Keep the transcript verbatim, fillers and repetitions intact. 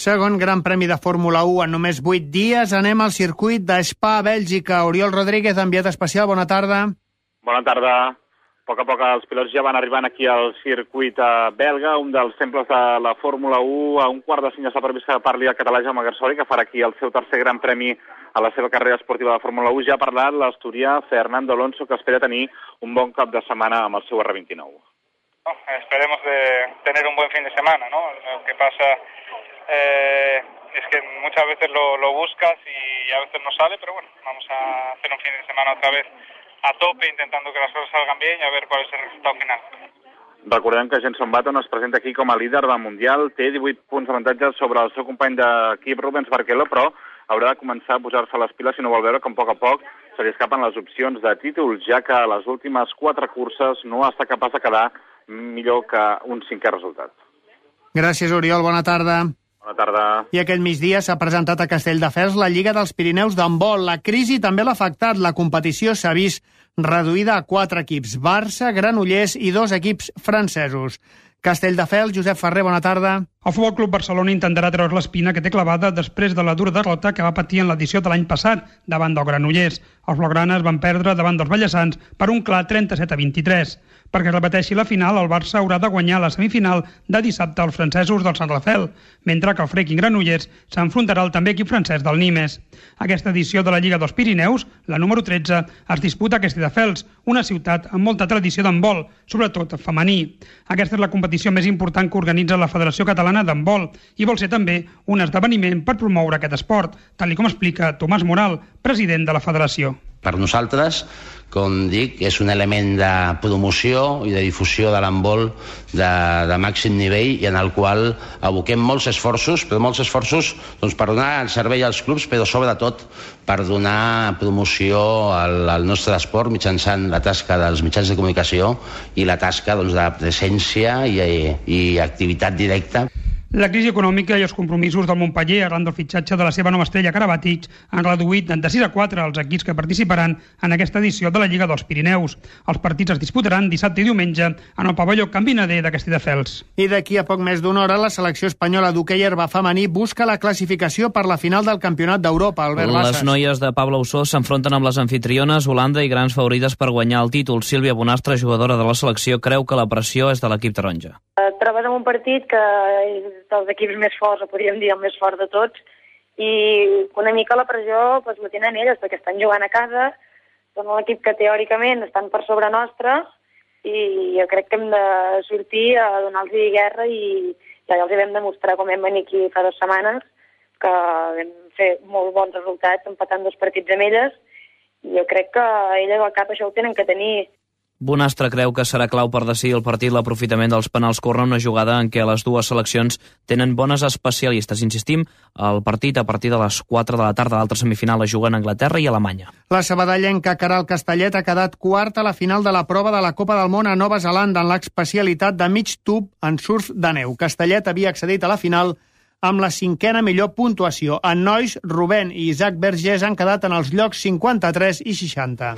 Segon Gran Premi de Fórmula u en només vuit dies. Anem al circuit de Spa, Bèlgica. Oriol Rodríguez, enviat especial, bona tarda. Bona tarda. A poc a poc els pilots ja van arribant aquí al circuit belga, un dels temples de la Fórmula u. A un quart de cinc ja s'ha previst que parli el català Jaume Garsori, que farà aquí el seu tercer Gran Premi a la seva carrera esportiva de Fórmula u. Ja ha parlat l'asturià Fernando Alonso, que espera tenir un bon cap de setmana amb el seu erre vint-i-nou. No, esperemos de tener un buen fin de semana, ¿no? Lo que pasa eh, es que muchas veces lo, lo buscas y a veces no sale, pero bueno, vamos a hacer un fin de semana otra vez a tope, intentando que las cosas salgan bien y a ver cuál es el resultado final. Recordem que Jenson Button es presenta aquí com a líder del Mundial, té divuit punts d'avantatge sobre el seu company d'equip Rubens Barrichello, però haurà de començar a posar-se les piles si no vol veure com a poc a poc se li escapen les opcions de títols, ja que a les últimes quatre curses no està capaç de quedar millor que un cinquè resultat. Gràcies, Oriol. Bona tarda. Bona tarda. I aquest migdia s'ha presentat a Castelldefels la Lliga dels Pirineus d'handbol. La crisi també l'ha afectat. La competició s'ha vist reduïda a quatre equips, Barça, Granollers i dos equips francesos. Castelldefels, Josep Ferrer, bona tarda. El Futbol Club Barcelona intentarà treure l'espina que té clavada després de la dura derrota que va patir en l'edició de l'any passat davant del Granollers. Els blaugranes van perdre davant dels bellesans per un clar trenta-set a vint-i-tres. Perquè es repeteixi la final, el Barça haurà de guanyar la semifinal de dissabte als francesos del Sant Rafel, mentre que el Freaking Granollers s'enfrontarà al també equip francès del Nimes. Aquesta edició de la Lliga dels Pirineus, la número tretze, es disputa a Castelldefels, una ciutat amb molta tradició d'handbol, sobretot femení. Aquesta és la competició més important que organitza la Federació Catalana d'Handbol i vol ser també un esdeveniment per promoure aquest esport, tal com explica Tomàs Moral, president de la federació. Per nosaltres, com dic, és un element de promoció i de difusió de l'handbol de, de màxim nivell i en el qual aboquem molts esforços, però molts esforços doncs, per donar servei als clubs, però sobretot per donar promoció al, al nostre esport mitjançant la tasca dels mitjans de comunicació i la tasca doncs, de presència i, i activitat directa. La crisi econòmica i els compromisos del Montpeller arran del fitxatge de la seva nova estrella Karabatic han reduït de sis a quatre els equips que participaran en aquesta edició de la Lliga dels Pirineus. Els partits es disputaran dissabte i diumenge en el pavelló Can Vinader de Castelldefels. I d'aquí a poc més d'una hora, la selecció espanyola d'hoquei herba femení busca la classificació per la final del Campionat d'Europa. Albert Bassas. Les noies de Pablo Ossó s'enfronten amb les anfitriones Holanda i grans favorites per guanyar el títol. Sílvia Bonastre, jugadora de la selecció, creu que la pressió és de l'equip taronja. Et trobes en un partit que és dels equips més forts, o podríem dir el més fort de tots, i una mica la pressió doncs, la tenen elles, perquè estan jugant a casa, són un equip que teòricament estan per sobre nostre, i jo crec que hem de sortir a donar-los guerra, i ja els hi vam demostrar com vam venir aquí fa dues setmanes, que vam fer molt bons resultats empatant dos partits amb elles, i jo crec que elles al cap això ho tenen que tenir. Bonastre creu que serà clau per decidir el partit l'aprofitament dels penals córner, una jugada en què les dues seleccions tenen bones especialistes. Insistim, el partit a partir de les quatre de la tarda, l'altra semifinal la juguen Anglaterra i Alemanya. La sabadellenca Caral Castellet ha quedat quarta a la final de la prova de la Copa del Món a Nova Zelanda en l'especialitat de mig tub en surf de neu. Castellet havia accedit a la final amb la cinquena millor puntuació. En nois, Rubén i Isaac Vergés han quedat en els llocs cinquanta-tres i seixanta.